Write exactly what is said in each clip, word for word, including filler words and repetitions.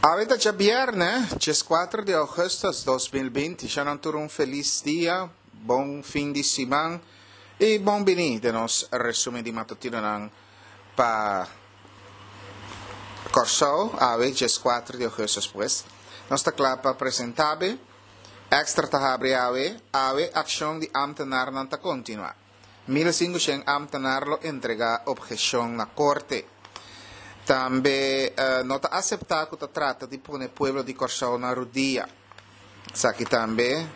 Awe ta djabièrnè, dieskuater di ougùstùs dos mil binti. Shanan tur un felis dia, bon fin di siman i bon bini den nos resumen di matutinonan pa Kòrsou, awe dieskuater di ougùstùs pues. Nos ta kla pa presentá be. Extra ta habri awe, awe akshon di ámtenarnan ta kontinuá. Mil sinkushen ámtenar lo entregá opheshon na korte. Tambe no ta aseptá ku ta trata di pone pueblo di Kòrsou na rudia. Esaki tambe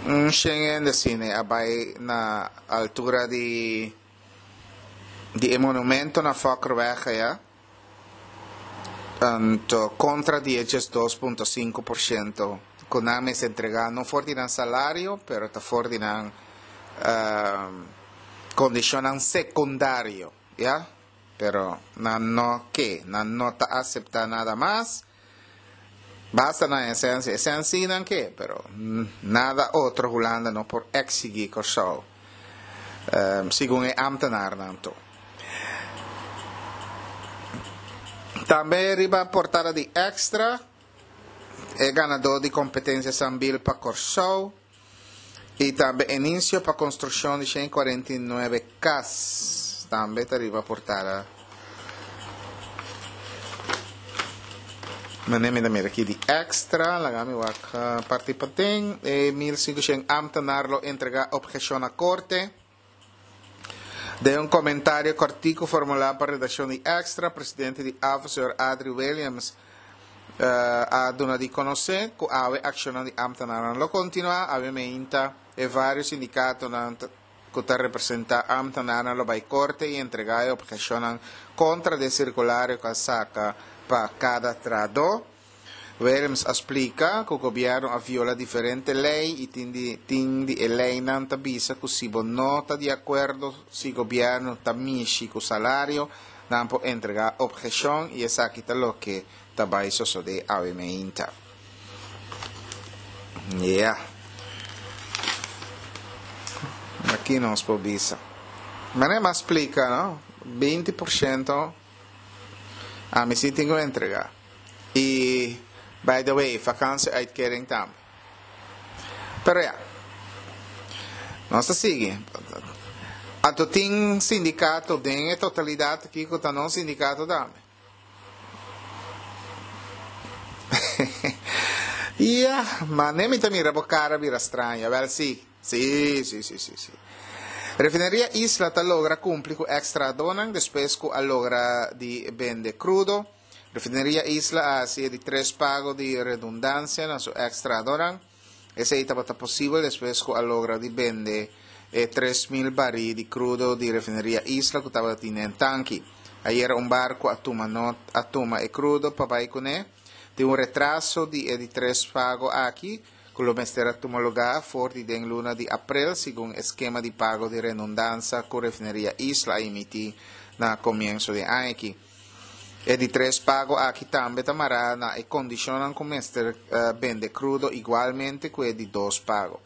un shen hende asina a bai na altura di di e monumento na Fokkerweg aya, anto kontra di e diesdos punto sinku por shento ku nan mester entregá no for di nan salario pero ta for di nan kondishonnan sekundario. Ya, pero nan no ke, nan no ta aseptá nada mas. Basta nan esensia, esen sí nan ke, pero nada otro Hulanda no por eksigí Kòrsou, segun e ámtenarnan to. Tambe riba portada di Extra, e ganadó di kompetensia Sambil pa Kòrsou. I tambe inicio pa construccion di shen cuarenta i nuebe cas tambe ta riba portada. Mane mi ta mira aki di Extra, laga mi wak parti paden. E mil sinkushen ambtenaar lo entrega obhecion na corte. Den un komentario kòrtiku formulá pa redakshon di Extra, presidente di AVO señor Adri Williams a duna di konosé ku awe akshonnan di ámtenarnan lo kontinuá. Awe meinta e vários sindikatonan ku ta representá ámtenarnan lo bai korte i entregá e opheshonnan kontra di e sirkulario ku a saka pa kada trahadó. Williams a splika ku gobièrnu a viola diferente lei i tin di tin di e leinan ta bisa ku si bo no ta di akuerdo si gobièrnu ta mishi ku salario, nan por entregá opheshon i esaki ta loke ta bai sosodé awe meinta. Yeah. Aki nos por bisa. Manera mi a splika, no? Binti por shento ami si tin ku entregá. I by the way, vakantie-uitkering tambe. Pero ya, nos ta sigui. Anto tin sindikato den e totalidat aki ku ta nos sindikato tambe. Ya, mane mi ta mira bo kara bira straño. Awel si, si, si, si, si, si. Refineria Isla ta logra kumpli ku eks trahadónan despues ku a logra di bende krudo. Refineria Isla a hasi e di tres pago di redundansia na su eks trahadónan. Esei tabata posibel despues ku a logra di bende e tres mil barí di krudo di Refineria Isla ku tabatin den tanki. Ayera un barku a tuma not a tuma e krudo pa bai kuné. Tin un retraso di e di tres pago aki ku lo mester a tuma lugá for di den luna di aprel segun e skema di pago di renundansa ku Refineria Isla a emití na komienso di e aña aki. E di tres pago aki tambe ta mará na e kondishonnan ku mester bende krudo igualmente ku e di dos pago.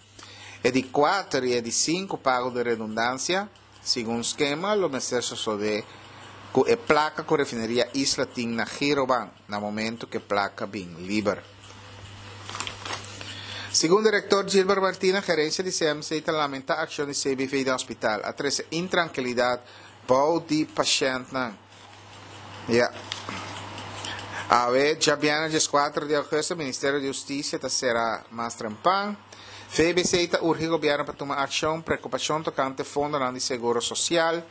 E di kuater i e di sinku pago di redundansia, segun skema, lo mester sosodé ku e plaka ku Refineria Isla tin na Girobank na momentu ku e plaka bin liber. Segun direktor Gilbert Martina, gerensia di C M C ta lamentá akshon di C B V den hospital a trese intrankilidat bou di pashèntnan. Ya. Awe, djabièrnè dieskuater di augùstùs, Ministerio di Hustisia ta sera mas trempan. V B C ta urgi gobièrnu pa tuma akshon, preokupashon tokante fondonan di seguro sosial.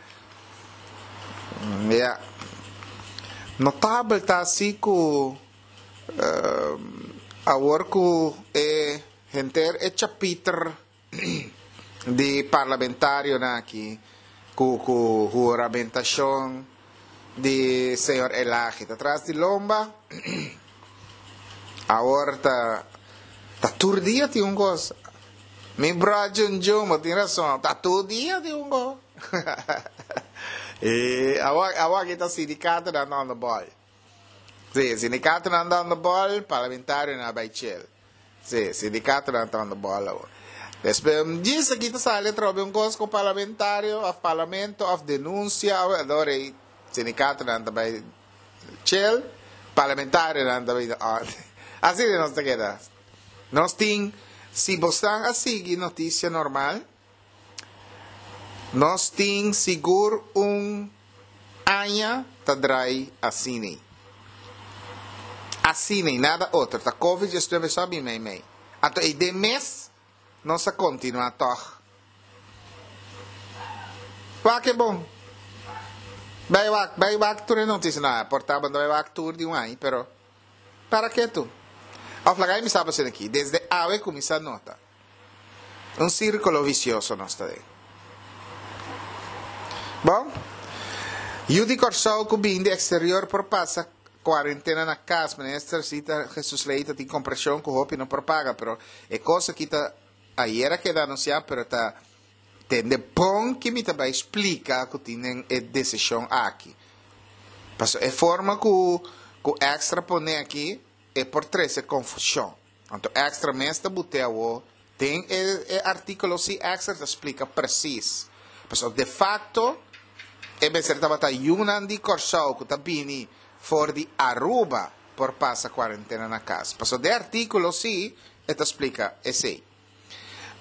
Ya. Notabel ta si ku awor ku e henter e chapiter di parlamentarionan aki ku ku huramentashon di señor Elhage ta tras di lomba, awor ta ta tur dia tin un kos. Mi bro Jun Jun, bo tin rason, ta tur dia tin un kos. E awor awor aki ta sindikatonan ta on the ball. Si, sindikatonan ta on the ball, parlamentarionan a bai chel. Si, sindikatonan ta on the ball awor. Despues un djis aki ta sali atrobe un kos ku parlamentario òf parlamento òf denunsia òf ador ei sindikatonan ta bai chel, Parlamentarionan ta bini on. Asina nos ta keda. Nos tin, si bo a sigui notisia normal, nos tin sigur un aña ta drai asina. Asina, nada otro. Ta COVID diesnuebe so mei mei. Anto e den mes nos a kontinuá toch. Wak e bon. Bai wak, bai wak tur e notisia na por ta bai wak tur di un aña, pero para ketu. Òf laga mi sabi aki, desde awe kuminsá nota. Un sírkulo visioso nos ta den. Bon, yu di Kòrsou ku bin di eksterior por pasa kuarentena na kas. Minister Zita Jesus Leito tin komprenshon ku hopi no por paga, pero e kos aki ta ayera keda anunsiá, pero ta tende bon ku mi tambe splika ku tin e desishon aki. Paso e forma ku ku Extra pone aki e por trese konfushon. Anto Extra mes ta bute awo tin e, e artíkulo si Extra ta splika presis. Paso de facto e mester tabata yunan di Kòrsou ku ta bini for di Aruba por pasa kuarentena na kas. Paso den artíkulo si e ta splika esei.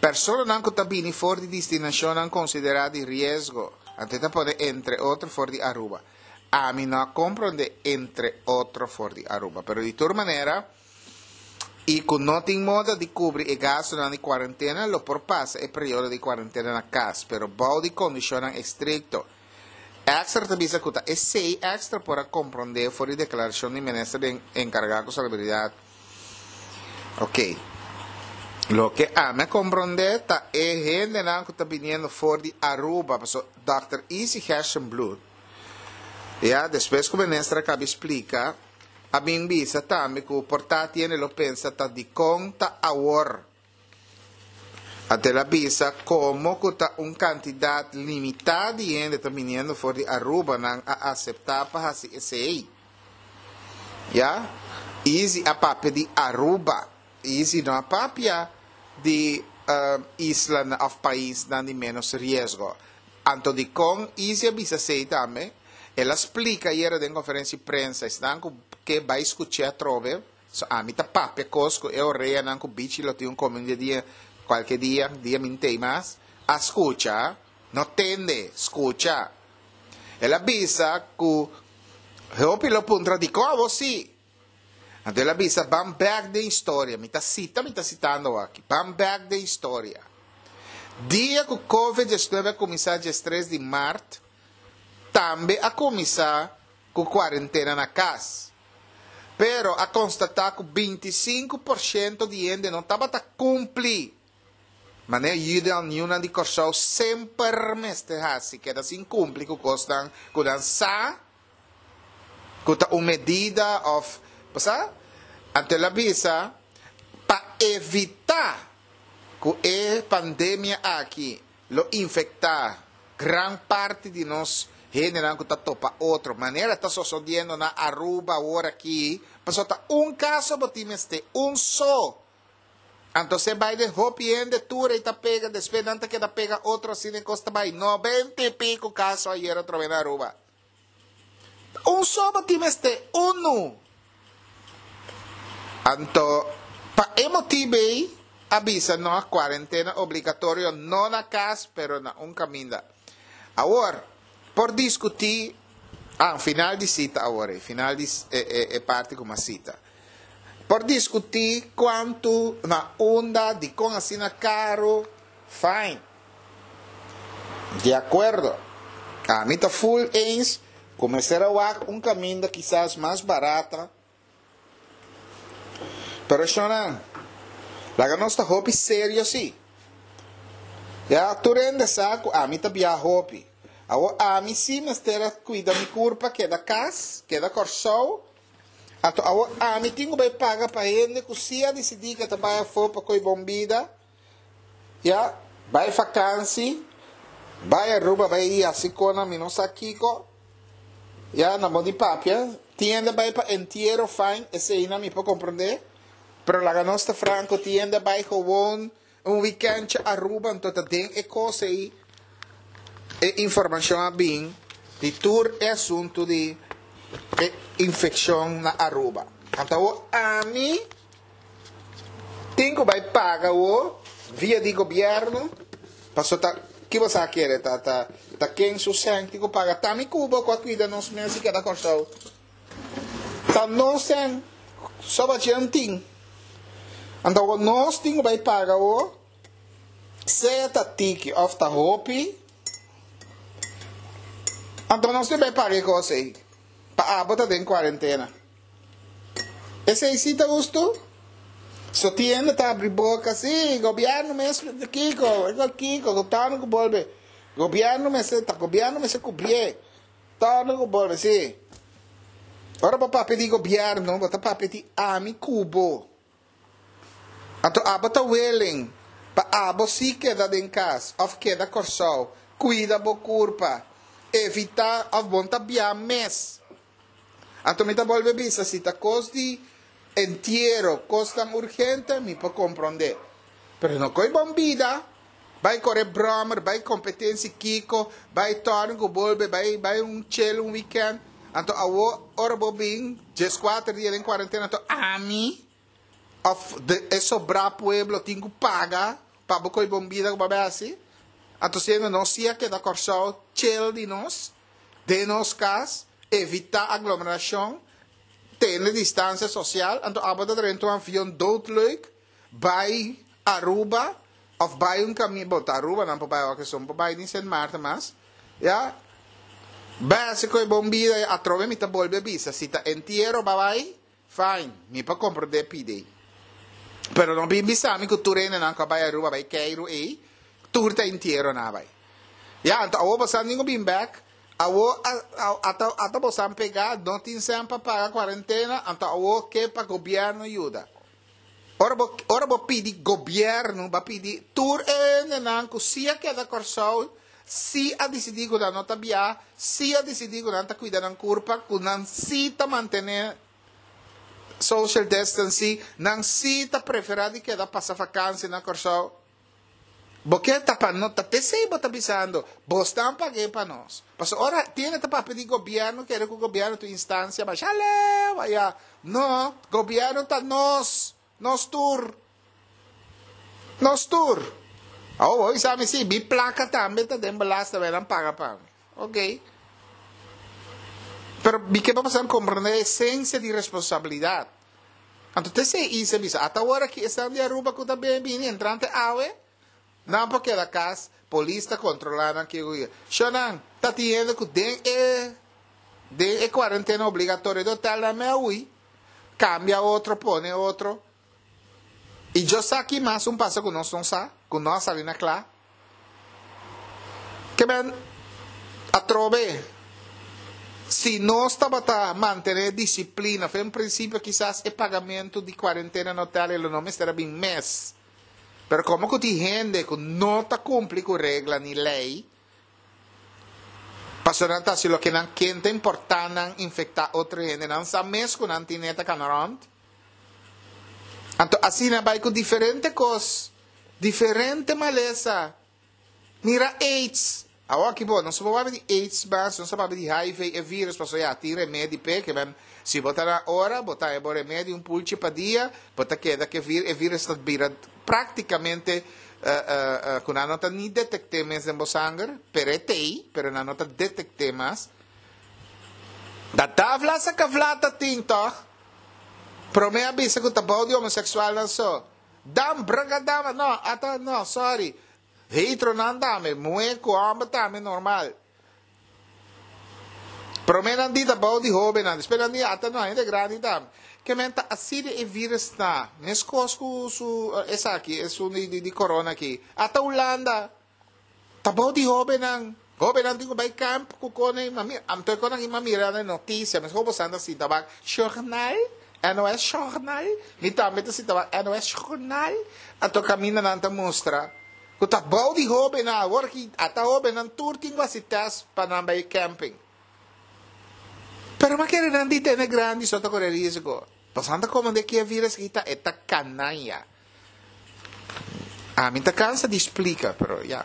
Personanan ku ta bini for di destinashonnan konsiderá di riesgo, anto ta pone entre otro for di Aruba. Ami no a komprondé entre otro for di Aruba, pero di tur manera, i ku no tin moda di kubri e gastunan di kuarentena, lo por pasa e periodo di kuarentena na kas, pero bou di kondishonnan estrikto. Extra ta bisa ku ta esei Extra por a komprondé for di deklarashon di minister enkargá ku salubridat. Ok. Loke ami a komprondé ta e hendenan ku ta biniendo for di Aruba, paso Dòkter Izzy Gerstenbluth, ya, despues ku minister a kaba splika, a bin bisa tambe ku por ta tin hende lo pensa ta dikon ta awor. Anto el a bisa komo ku ta un kantidat limitá di hende ta biniendo for di Aruba nan a aseptá pa hasi esei. Ya? Izzy a papia di Aruba. Izzy no a papia di uh, isla òf paisnan di menos riesgo. Anto dikon Izzy a bisa esei tambe, el a splika ayera den konferensia di prensa, esnan ku ke bai skucha atrobe, so ami ta papia kos ku e oreanan ku bichi lo tin un kome di dia, kualke dia, dia mi n' tei mas, a skucha, no tende, skucha. El a bisa ku hopi lo puntra dikon awor si. Anto el a bisa ban bèk den historia, mi ta sita, mi ta sitando aki, ban bèk den historia. Dia ku COVID diesnuebe a kuminsá diestres di mart, tambe a kuminsá ku kuarentena na kas. Pero a konstatá ku bintisinku porshento di hende no tabata kumpli. Manera yunan di Kòrsou semper mester hasi, keda sin kumpli ku kosnan ku nan sa, ku ta un medida òf, pasa? Anto el a bisa, pa evitá ku e pandemia aki lo infektá gran parti di nos hendenan ku ta topa otro. Manera ta sosodiendo na Aruba awor aki, paso ta un kaso bo tin mester, un so. Anto se bai den hopi hende tur ei ta pega, despues nan ta keda pega otro asina e kos ta bai. Noventa i piko kaso ayera atrobe na Aruba. Un so bo tin mester, unu. Anto, pa e motibu ei, a bisa no kuarentena obligatorio no na kas, pero na un kaminda. Awor, por diskutí, ah, final di sita awor, eh, final di e, e, e parti ku m'a sita. Por diskutí kuantu na unda, dikon asina karu, fine. Di akuerdo. Ami ta full eens, kuminsá wak un kaminda kisas mas barata. Pero shona, laga nos ta hopi serio si. Ya, tur hende sa ku ami ta biaha hopi. Awo ami si mester a kuida mi kurpa keda kas, keda Kòrsou. Anto awo ami tin ku bai paga pa hende ku si a disidí ku ta bai afó pa koi bon bida. Ya, bai vakansi, bai Aruba, bai hasi kona mi no sa kiko. Ya, na bon di papia, tin hende bai pa entiero fine, esei mi por komprondé. Pero laga nos ta franko, tin hende bai gewoon un weekend Aruba, anto ta den e kos ei e informashon a bin di tur e asuntu di e infekshon na Aruba. Anto ami tin ku bai paga o via di gobièrnu, paso ta ki bo sa kere ta ta ta ken su sèn tin ku paga? Ta mi ku bo ku a kuida nos mes i keda Kòrsou. Ta nos sèn soba djen tin. Anto nos tin ku bai paga o sea ta tiki òf ta hopi. Anto nos tin bai paga e kos ei pa abo ta den kuarentena. Esei si ta hustu? So tienda ta abri boca, sí, gobierno mes kiko, kiko, tano ku bolbe. Gobierno mester, ta gobierno mester kubrié. Tano ku bolbe, sí. Ora bo papia di gobierno, bo ta papia di ami ku bo. Anto abo ta willing pa abo sí keda den kas òf keda Kòrsou, kuida bo kurpa, evitá òf bon ta bia mes. Anto mi ta bolbe bisa, si ta kos di entiero, kosnan urgente, mi por komprondé. Pero no koi bon bida, bai kore bròmer, bai kompetensia kiko, bai tòrn ku bolbe, bai bai un chill un weekend. Anto awo ora bo bin dieskuater dia den kuarentena, anto ami òf de e sobrá pueblo tin ku paga pa bo koi bon bida ku bo a bai hasi. Anto siendo nos si a keda Kòrsou chill di nos, den nos kas, evitá aglomerashon, tene distansia sosial, anto abo ta drenta un avion doodleuk bai Aruba òf bai un kaminda, bo ta Aruba nan por bai awor keson por bai ni Sint Maarten mas, ya, bai hasi ku e bon bida ya, atrobe mi ta bolbe bisa si ta entiero ba bai, fine, mi por komprondé pidi. Pero no bin bisa mi ku tur hendenan ku a bai Aruba bai keiru ei, tur ta entiero nan a bai. Ya, anto awor bo sa ningun bin bek, Awo ata ata bosan pega no tin sen pa paga cuarentena anto awo ke pa gobierno yuda. Ora bo ora bo pidi gobierno ba pidi tur e hendenan cu si a keda Corsou si a dicidi cu nan no ta bia si a dicidi cu nan ta cuida nan curpa cu nan si ta mantene social distancing nan si ta prefera di keda pasa vakantie na Corsou. Bo ke ta pa no ta pesey bo ta bisando bo stan pag'e pa nos. Pasobra ora tiene ta papia di gobierno kere ku gobierno ta un instancia masha leu aya. No, gobierno ta nos, nos tur. Nos tur. Awor bo bisa mi si mi plaka tambe ta den belasting tabia nan paga pa mi. Ok. Pero mi ke pa boso comprende e esencia di responsabilidad. Anto te esei Isa bisa, ata ora ki esnan di Aruba ku ta bini bini entrante awe, nan por keda kas, polis ta kontrolá nan kiko ku Shonnan, ta tin hende ku den e den e kuarentena obligatorio di hotel nan mei a hui, kambia otro, pone otro. I yo sa ki mas un pasa ku nos no sa, ku no a sali na kla. Ke men atrobe, si nos tabata mantené disiplina fen prinsipio kisas e pagamentu di kuarentena na hotel e lo no mester a bin mes. Pero komo ku tin hende ku no ta kumpli ku regla ni lei, pasobra nan ta hasi loke nan ken ta importá nan infektá otro hende, nan sa mes ku nan tin neta kana rònt. Anto asina bai ku diferente kos, diferente malesa. Mira aids. Awor aki bo, nos no por papia di aids mas, nos ta papia di H I V, e virus, pasobra ya tin remedi p'e, ke men si bo ta na ora, bo ta haña bo remedi un pulchi pa dia, bo ta keda ku e virus, e virus ta bira praktikamente ku nan no ta ni detekt'é mes den bo sanger, pero e t'ei, pero nan no ta detekt'é mas. Da davla sa kavla ta tin tòg? Promé a bisa ku ta bou di homoseksualnan so. Dam bragadama, no, ata no, sorry. Heteronan tambe, muhé ku hòmber tambe normal. Promé nan di ta bou di hóbennan, despues nan di ata no, hende grandi tambe. Ke men ta asina e vírus ta, meskos ku su esaki, esun di di korona aki. Ata Hulanda ta bou di hóbennan. Hóbennan tin ku bai kamp ku kone, anto e konan a mira na e notisia, meskos boso anda sinta wak shornal. N O S Journal, mi tambe ta sinta wak N O S Journal, anto kaminda nan ta mustra ku ta bou di hóbennan, awor ki ata hóbennan tur tin ku hasi tèst pa nan bai camping. Pero ma kere nan di tene grandi so ta kore risiko. Pasobra nan ta komand'é ki e virus aki ta, e ta kanaya. Ami ta kansa di splika, pero ya.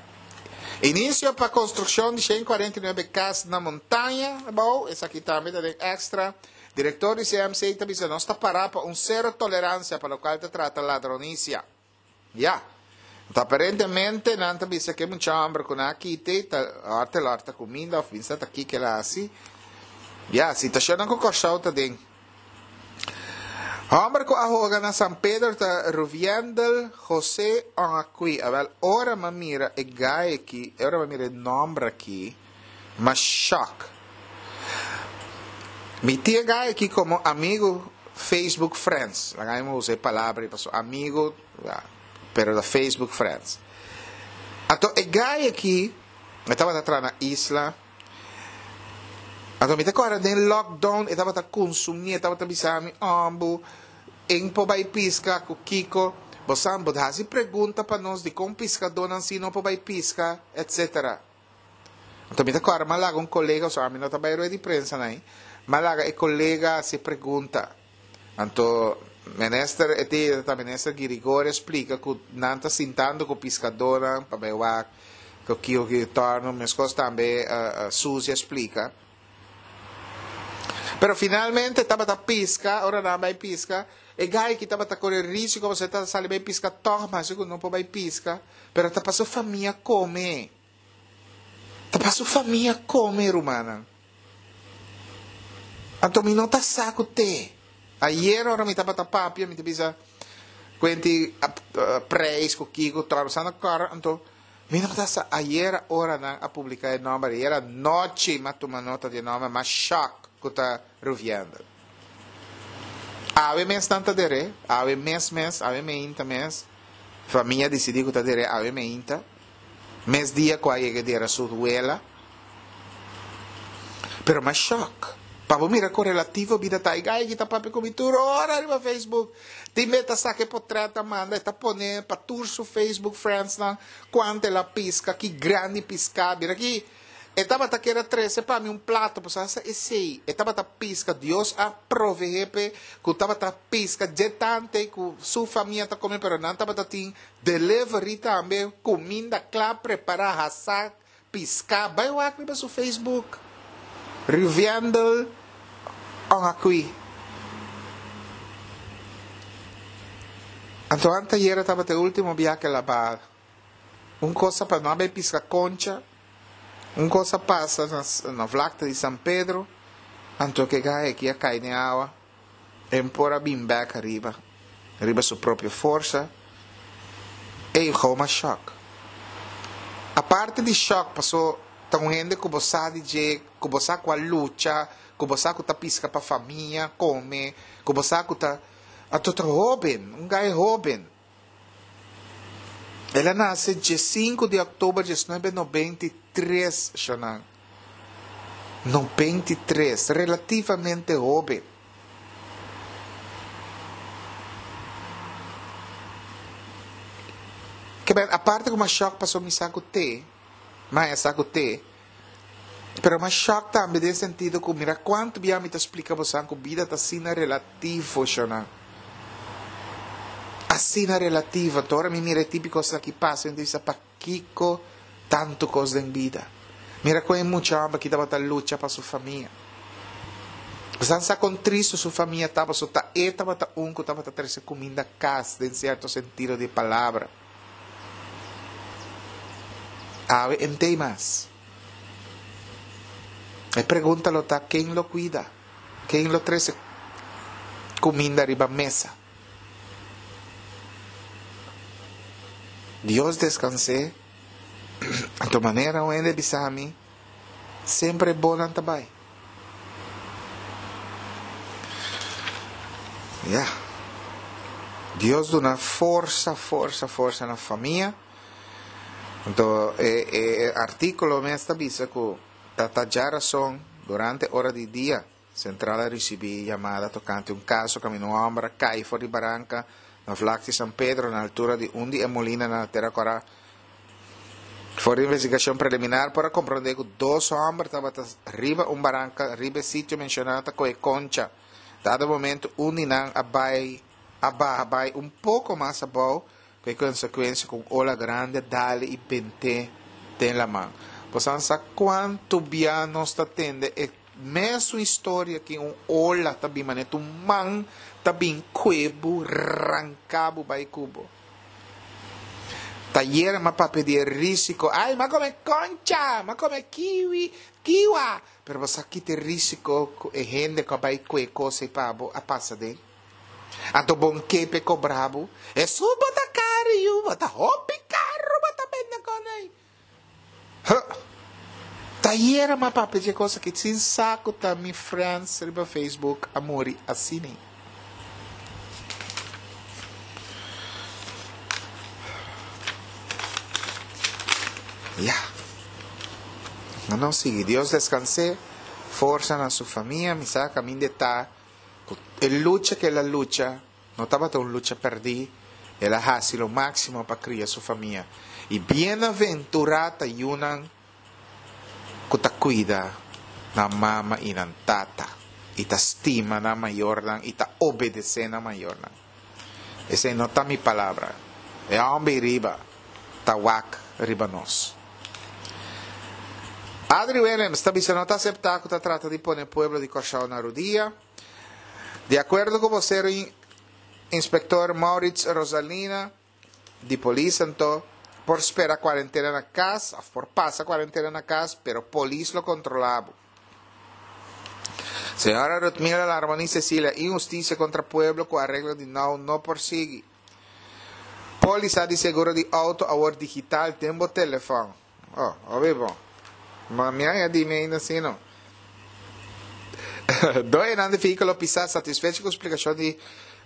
Inisio pa konstrukshon di shen kuarenta i nuebe kas na montaña abou, esaki tambe ta den extra. Direktor di C M C ta bisa: nos ta para pa un sero toleransia pa loke ta trata ladronisia. Ya. Anto, aparentemente, nan ta bisa ku mucha hòmber ku nan a kita, ta hòrta hòrta kuminda, òf bisa ta kiko el a hasi. Ya, situashon ku Kòrsou ta den. Hòmber ku a hoga na San Pedro ta Ruviendel José Onakui. Awel, ora m'a mira e gai aki, ora m'a mira e nòmber aki, m'a shock. Mi tin e gai aki komo amigu, Facebook Friends. Laga mi usa e palabra pa su amigu, pero da Facebook Friends. Anto e gai aki, e tabata traha na Isla. Anto mi ta kòrda den lockdown, e tabata konsumí, e tabata bisa mi, ambu, e n' por bai piska ku kiko, bo sa, bo hasi pregunta pa nos di kon piskadónan si no por bai piska, et cetera. Anto mi ta kòrda m'a laga un kolega, so ami no ta bai rueda di prensa nai, m'a laga e kolega hasi pregunta. Anto minister e ti ta minister Girigorie splika ku nan ta sintando ku piskadónan pa bai wak ku kiko ki torno, meskos tambe uh, uh, Suzy a splika. Pero finalmente tabata piska, ora nan bai piska, e gai ku tabata kore risiko, bo ta sali bai piska tòg, mas ku no por bai piska, pero ta pa su famia kome. Ta pa su famia kome, rumannan. Anto mi no ta sa ku te. Ayera ora mi tabata papia, mi ta bisa kuenti uh, preis ku kiko tor sana kor, anto mi no ta sa ayera ora nan a publiká e nòmber, ayera nochi m'a tuma nota di e nòmber, m'a shock ku ta Ruviendel. Awe mes nan ta der'é, awe mes mes, awe meinta mes, famia a disidí ku ta der'é awe meinta, mes dia ku a yega dera su wela. Pero m'a shock. Pa bo mira kon relativo bida ta. Gai ki ta papia ku mi tur ora riba Facebook. Tin be ta saka potrèt ta manda, ta pone pa tur su Facebook friends nan kuantu el a piska, ki grandi piska. Mira aki, e tabata kere trese pa mi un plato, pues asa esei. E tabata piska, Dios a proveé pe, ku tabata piska dje tantu ku su famia ta kome, pero nan tabata tin delivery tambe, kuminda kla prepará, hasá, piska. Bai wak riba su Facebook. Ruviendel Onakui. Anto ayera tabata e último biahe el a baha. Un kos pa no bai piska koncha. Un kos a pasa na, na vlakte di San Pedro. Anto ku e gai aki a kai den awa. E n' por a bin bèk ariba. Riba su propio forsa. Ei, gewoon m'a shock. Aparte di shock, pasó ta un hende ku bo sa di dje, ku bo sa ku a lucha, ku bo sa ku ta piska pa famia kome, ku bo sa ku ta anto ta hóben, un gai hóben. El a nase diesinku di òktober diesnuebe nobenta i tres, Shonan. nobenta i tres, relativamente hóben. Ke ben, aparte ku m'a shock pasó mi sa ku te, ma sa ku te, pero m'a shock tambe den sentido ku mira kuantu bia mi ta splika bo ku bida ta asina relativo, Shonan. Asina relativo. Ora mi mira típiko aki pasa, mi bisa pakiko tantu kos den bida. Mira kon mucha hòmber ku tabata lucha pa su famia. Bo sa kon tristu su famia tabata, so ta e tabata un ku tabata trese kuminda kas, den sierto sentido di palabra. Awe e n' tei mas. E pregunta lo ta ken lo kuida? Ken lo trese kuminda riba mesa? Dios deskans'é. Anto manera un hende bisa mi, semper bon nan ta bai. Ja. Dios duna forsa, forsa, forsa na famia. Anto, e, e artíkulo mes ta bisa ku ta djárason durante ora di dia, sentral a risibí yamada tokante un kaso kaminda un hòmber a kai for di baranka na vlakte San Pedro na altura di un di e molina na Tera Kòrá. For di investigashon preliminar por a komprondé ku dos hòmber tabata riba un baranka riba e sitio menshoná ta kohe koncha. Dado momento un di nan a bai a baha bai un poko mas abou ku konsekuensia ku ola grandi a dal e i bent'é den laman. Bo sa kuantu bia nos ta tende e Mesun historia ku un ola ta bin manera un man ta bin kue bo ranka bo bai ku bo. Tayer m'a papia di rísiko. Ai, m'a kome koncha, m'a kome kiwi, kiwa. Pero bo sa ki ta e rísiko ku e hende ku bai kue kos ei pa bo a pasa den. Anto bo n' ke p'e kobra bo. Esun bo ta karu yu, bo ta hopi karu bo ta bende kon ei. Huh. Tayer m'a papia di kos aki sin sa ku ta mi friends riba Facebook a muri asina. Ya. No no sigui. Dios deskans'é, forsa na su famia. Mi sa kaminda e ta ku e lucha ku el a lucha no tabata un lucha pèrdí. El a hasi lo máksimo pa kria su famia. I bienaventurá ta yunan ku ta kuida nan mama i nan tata i ta stima nan mayornan i ta obedesé nan mayornan. Esei no ta mi palabra. E hòmber ei riba ta wak riba nos. Adri Willems ta bisa no ta aseptá ku ta trata di pone pueblo di Kòrsou na rudia. Di akuerdo ku bosero Inspektor Maurits Rosalina di polis anto por spera kuarentena na kas òf por pasa kuarentena na kas pero polis lo kontrolá bo. Señora Rutmila Larmonie Cecilia, Inhustisia kontra pueblo ku areglo di now no por sigui. Polisa di seguro di outo awor digital den bo telefòn. Oh, hopi bon. Ma mi a di mi ainda si no. Doenan di vehíkulo pisá satisfecho ku splikashon di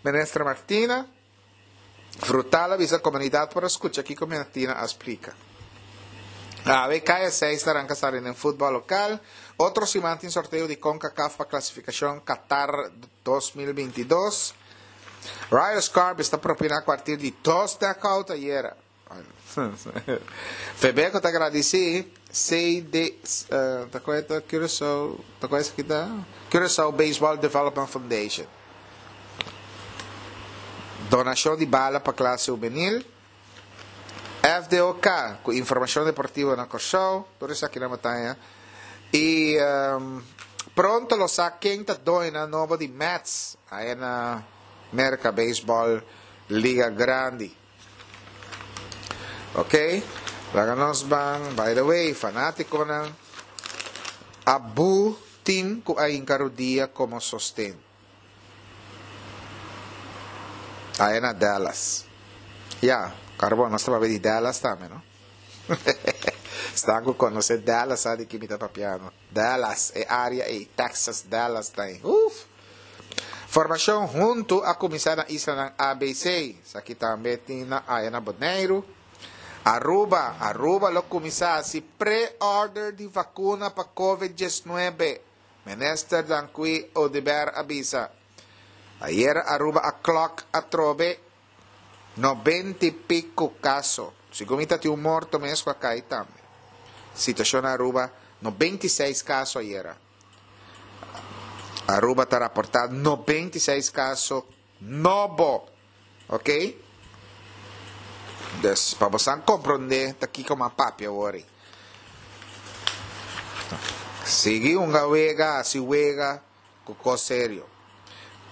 Minister Martina. Frutal a bisa komunidat por a skucha kiko Martina a splika. Awe kaya seis ta ranka sali den futbòl lokal. Otro siman tin sorteo di Concacaf pa klasifikashon Qatar dos mil binti dos. Royal Scorpions ta propina kuartir di dos knockout ayera. Febeco ta gradisí C D ta kua ta Curaçao ta kua esaki ta Curaçao Baseball Development Foundation. Donashon di bala pa klase hubenil. F D O K ku informashon deportivo na Kòrsou. Tur esaki nan bataya. I pronto lo sa ken ta doñonan nobo di Mets aya na Merka Baseball Liga Grandi. Ok, laga nos ban, by the way, fanátikonan a bu tin ku a hinka rudia komo sosten. Aya na Dallas. Ya, karbon, nos ta papia di Dallas tambe, no? Esnan ku konosé Dallas sa di ki mi ta papiando. Dallas, e área ei, Texas, Dallas ta ei. Uf! Formashon huntu a kuminsá na islanan A B C. Esaki tambe tin na aya na Boneiru. Aruba, Aruba lo kuminsá hasi pre-order di vakuna pa Covid diesnuebe, Minister Dangui Oduber a bisa. Ayera Aruba a klòk atrobe nobenta i piku kaso. Segun mi ta tin un morto mes ku a kai tambe. Situashon na Aruba, nobenta i seis kaso ayera. Aruba ta raportá nobenta i seis kaso nobo. Ok? Dus, pa bosan komprondé ta kiko m'a papia awor ei. Sigui hunga wega, hasi wega ku kos serio.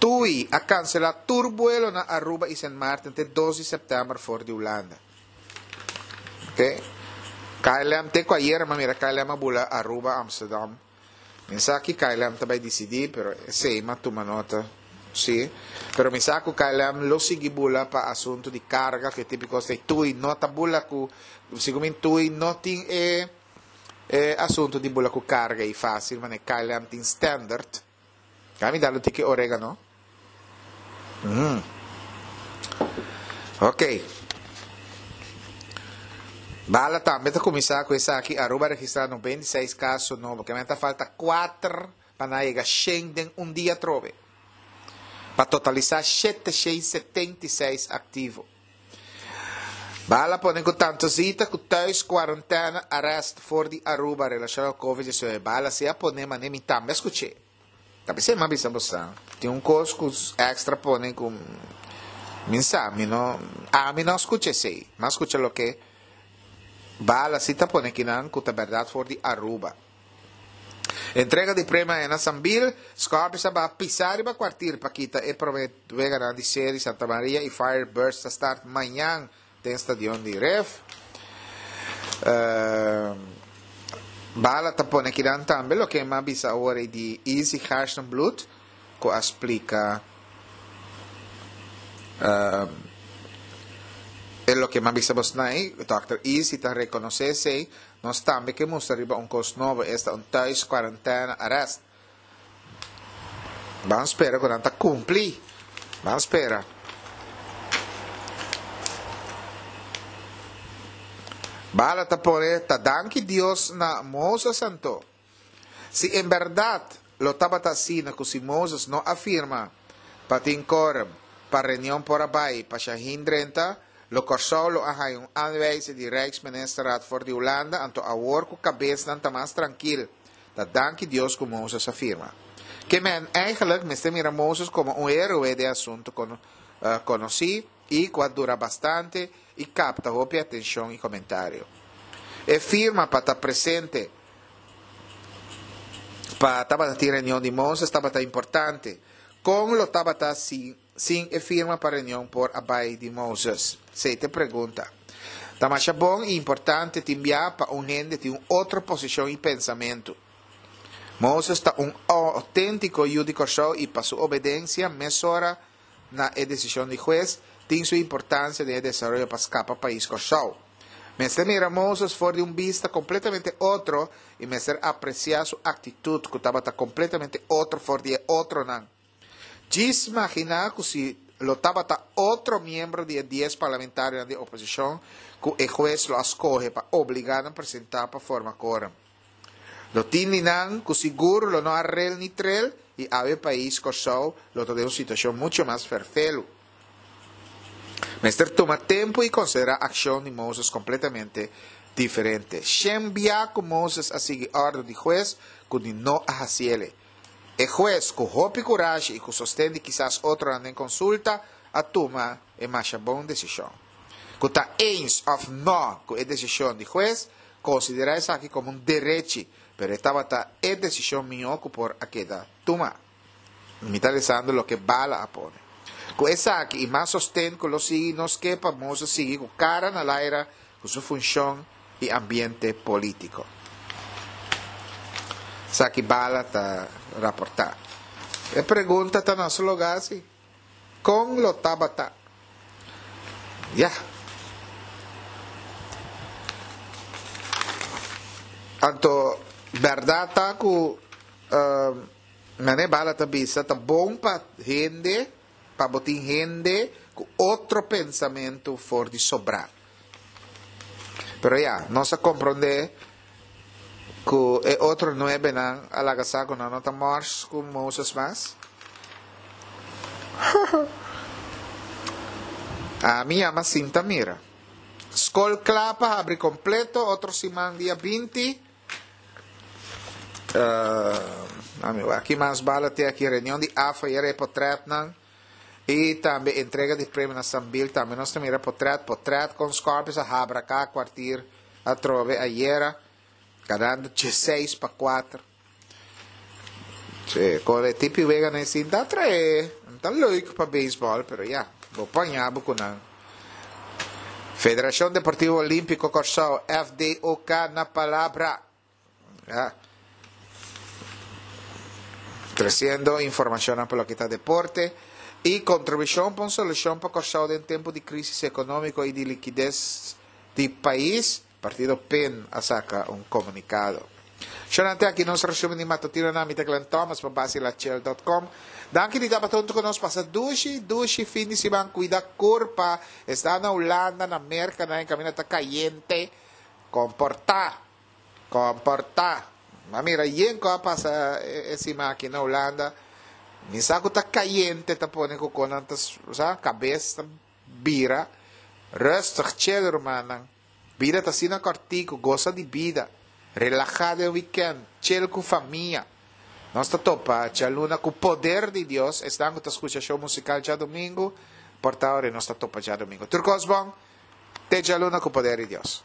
Tui a kanselá tur buelo na Aruba i Sint Maarten te dos di sèptèmber for di Hulanda. Ok? K L M te ku ayera m'a mira K L M a bula Aruba, Amsterdam. Mi sa ki K L M ta bai disidí, pero esei m'a tuma nota, sí. Pero mi sa ku K L M lo sigui bula pa asuntu di karga, ku e tipo di kos ei. Tui no ta bula ku, segun mi Tui no tin e e asuntu di bula ku karga ei fásil, manera K L M tin standard. Ka mi da lo tiki oregano. Mm. Ok. Bala tambe ta kuminsá ku esaki. Aruba a registrá noventa i seis kaso nobo. Ke men ta falta kuater pa nan yega shen den un dia atrobe. Pa totalisá shete shei setenta i seis aktivo. Bala pone ku tantu zita ku thuis kuarentena arrest for di Aruba relashoná ku covid diesnuebe. Bala si a pone mane mi tambe a skuch'é. Ta p'esei mi a bisa bo sa, tin un kos ku extra pone ku mi sa, mi no, ami no a skucha esei. Mi a skucha loke Bala si ta pone kinan ku ta bèrdat for di Aruba. Entrega di premio na Sambil, Scorpions a baha pisa riba Kwartier pa kita e prome weganan di serie. Santa Maria y Firebirds ta start mañan den stadion di Ref. Uh, Bala ta pone akinan tambe loke m'a bisa awor di Easy Gerstenbluth ku a splika uh, e loke m'a bisa bosnan ei, Dòkter Easy ta rekonosé esei, nos tambe ke mustra riba un kos nobo, esta un thuis quarantaine arrest. Ban spera ku nan ta kumpli. Ban spera. Bala ta pone ta danki Dios na Moses anto. Si en bèrdat lo tabata asina ku si Moses no a firma pa tin kòrem pa reunion por a bai pa Shaheen drenta, lo Kòrsou lo a haña un aanwijzing di Rijksministerraad for di Hulanda, anto awor ku kabesnan ta mas trankil, ta danki Dios ku Moses a firma. Ke men eigenlijk mester mira Moses komo un héroe den asuntu konosí i ku a dura bastante i kapta hopi atenshon i komentario. E firma pa ta presente pa tabata tin reunion di Moses tabata importante. Kon lo tabata si sin e firma pa reunion por a bai di Moses? Esei ta e pregunta. Ta masha bon i importante tin bia pa un hende tin un otro posishon i pensamentu. Moses ta un outéntiko yu di Kòrsou i pa su obedensia mesora na e desishon di hues tin su importansia den e desaroyo pa skapa pais Kòrsou. Mester mira Moses for di un bista kompletamente otro i mester apresiá su aktitut ku tabata kompletamente otro for di e otronan. Djis maginá ku si lo tabata otro miembro di e dies parlamentarionan di oposishon ku e hues lo a skohe pa obligá nan presentá pa forma korum. Lo tin di nan ku sigur lo no a rel ni trel i awe pais Kòrsou lo ta den un situashon mucho mas ferfelu. Mester tuma tempu i konsiderá akshon di Moses kompletamente diferente. Shen bia ku Moses a sigui òrdu di hues ku di no a hasiele. E hues, ku hopi kurashi i ku sosten di kisas otronan den konsulta, a tuma e masha bon desishon. Ku ta eens òf nò ku e desishon di hues, konsiderá esaki komo un derechi, pero e tabata e desishon mihó ku por a keda tuma. Mi ta lesando loke Bala a pone. Ku esaki i mas sosten ku lo sigui nos ke pa Moses sigui ku kara na laira ku su funshon i ambiente polítiko. Esaki Bala ta raportá. E pregunta ta na su lugá si, Kon lo tabata? Ya. Anto, bèrdat ta ku manera Bala ta bisa ta bon pa hende, pa bo tin hende ku otro pensamentu for di sobrá. Pero ya, nos a komprondé ku e otro nuebenan a laga sa ku nan no ta mòrs ku Moses mas. Ami yama sinta mira. Skol kla pa habri kompleto otro siman dia binti. Ami wak ki mas bala tin aki, reunion di AFA yera e potretnan. I tambe entrega di premio na Sambil tambe nos ta mira potret potret kon Scorpions a habraká kwartier atrobe ayera ganando diesseis pa kuater. Sí, kon e tipi weganan esei ta trae ta leuk pa beisbòl pero ya bo paña bo ku nan. Federashon Deportivo Olímpiko Kòrsou, F D O K, na palabra. Ya. Tresiendo informashonnan pa loke ta deporte i kontribushon pa un solushon pa Kòrsou den tempu di krísis ekonómiko i di likides di pais, partido pen a saka un komunikado. Shonnan te aki nos resumen di matutinonan. Mi ta Glenn Thomas pa Basilachel dot com. Danki di tabata huntu ku nos. Pasa dushi, dushi fin di siman. Kuida kurpa. Esta na Hulanda, na Merka, nan e kaminda ta kayente. Komportá. Komportá. M'a mira yen ku a pasa e siman aki na Hulanda. Mi sa ku ta kayente ta pone ku kon nan ta sa kabes ta bira. Rustig, chill rumannan. Bida ta asina kòrtiku, gosa di bida. Relahá den wikènt, chill ku famia. Nos ta topa djaluna ku poder di Dios. Esnan ku ta skucha show musikal djadumingu, por ta ora nos ta topa djadumingu. Tur kos bon, te djaluna ku poder di Dios.